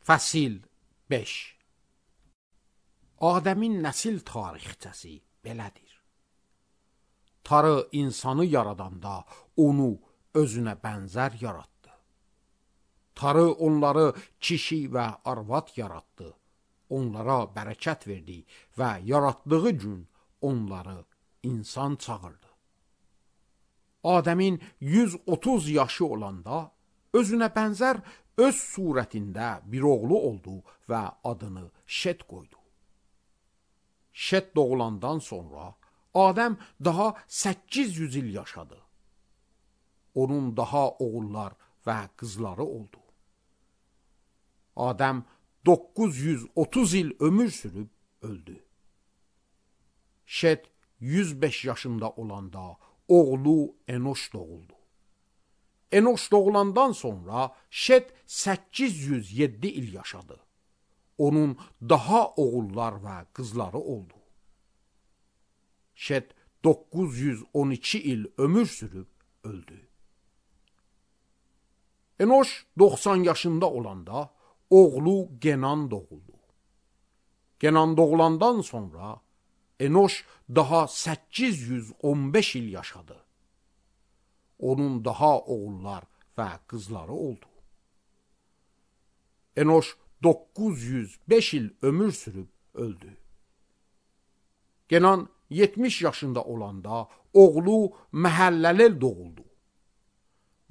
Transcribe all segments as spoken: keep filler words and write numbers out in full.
Fəsil beş. Adəmin nəsil tarixçəsi belədir. Tanrı insanı yaradanda onu özünə bənzər yaratdı. Tanrı onları kişi və arvad yaratdı. Onlara bərəkət verdi və yaratdığı gün onları insan çağırdı. Adəmin yüz otuz yaşı olanda özünə bənzər öz surətində bir oğlu oldu və adını Şet qoydu. Şet doğulandan sonra Adəm daha səkkiz yüz il yaşadı. Onun daha oğullar və qızları oldu. Adəm doqquz yüz otuz il ömür sürüb öldü. Şet yüz beş yaşında olanda oğlu Enoş doğuldu. Enoş doğulandan sonra Şet səkkiz yüz yeddi il yaşadı. Onun daha oğullar və qızları oldu. Şet doqquz yüz on iki il ömür sürüb öldü. Enoş doxsan yaşında olanda oğlu Genan doğuldu. Genan doğulandan sonra Enoş daha səkkiz yüz on beş il yaşadı. Onun daha oğullar və qızları oldu. Enoş doqquz yüz beş il ömür sürüb öldü. Genan yetmiş yaşında olanda oğlu Məhəlləlel doğuldu.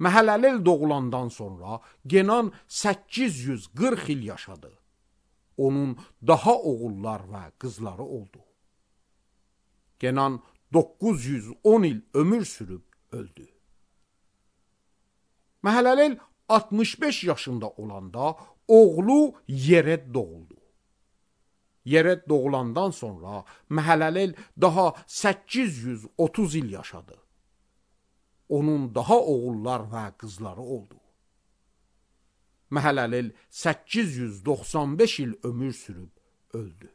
Məhəlləlel doğulandan sonra Genan səkkiz yüz qırx il yaşadı. Onun daha oğullar və qızları oldu. Genan doqquz yüz on il ömür sürüb öldü. Məhəlləlel altmış beş yaşında olanda oğlu Yered doğuldu. Yered doğulandan sonra Məhəlləlel daha səkkiz yüz otuz il yaşadı. Onun daha oğullar və qızları oldu. Məhəlləlel səkkiz yüz doxsan beş il ömür sürüb öldü.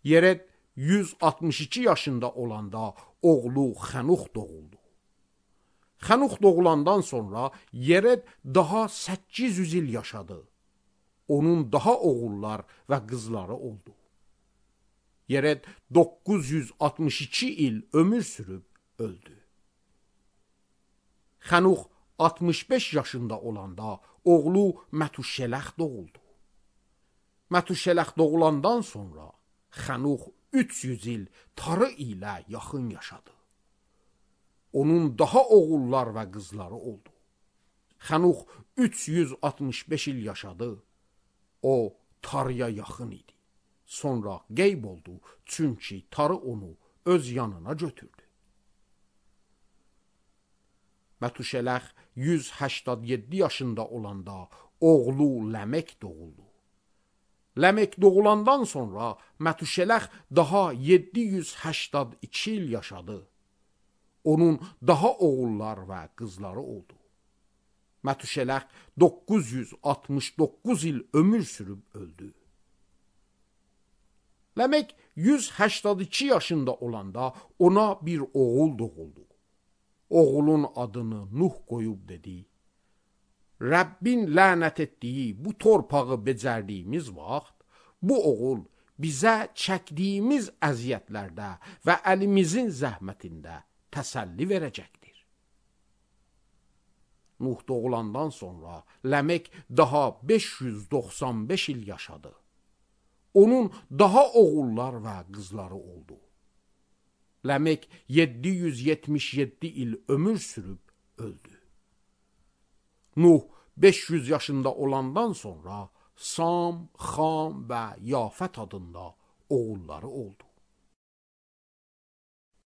Yered yüz altmış iki yaşında olanda oğlu Xənux doğuldu. Xənux doğulandan sonra Yered daha səkkiz yüz il yaşadı. Onun daha oğullar və qızları oldu. Yered doqquz yüz altmış iki il ömür sürüb öldü. Xənux altmış beş yaşında olanda oğlu Mətuşələx doğuldu. Mətuşələx doğulandan sonra Xənux üç yüz il Tanrı ilə yaxın yaşadı. Onun daha oğullar və qızları oldu. Xənux üç yüz altmış beş il yaşadı. O Tanrıya yaxın idi. Sonra qeyb oldu, çünki Tanrı onu öz yanına götürdü. Mətuşələx yüz səksən yeddi yaşında olanda oğlu Ləmək doğuldu. Ləmək doğulandan sonra Mətuşələx daha yeddi yüz səksən iki il yaşadı. Onun daha oğullar və qızları oldu. Mətuşələx doqquz yüz altmış doqquz il ömür sürüb öldü. Ləmək yüz səksən iki yaşında olanda ona bir oğul doğuldu. Oğulun adını Nuh qoyub dedi: Rəbbin lənət etdiyi bu torpağı becərdiyimiz vaxt, bu oğul bizə çəkdiyimiz əziyyətlərdə və əlimizin zəhmətində təsəlli verəcəkdir. Nuh doğulandan sonra Ləmək daha beş yüz doxsan beş il yaşadı. Onun daha oğullar və qızları oldu. Ləmək yeddi yüz yetmiş yeddi il ömür sürüb öldü. Nuh beş yüz yaşında olandan sonra Sam, Xam və Yafət adında oğulları oldu.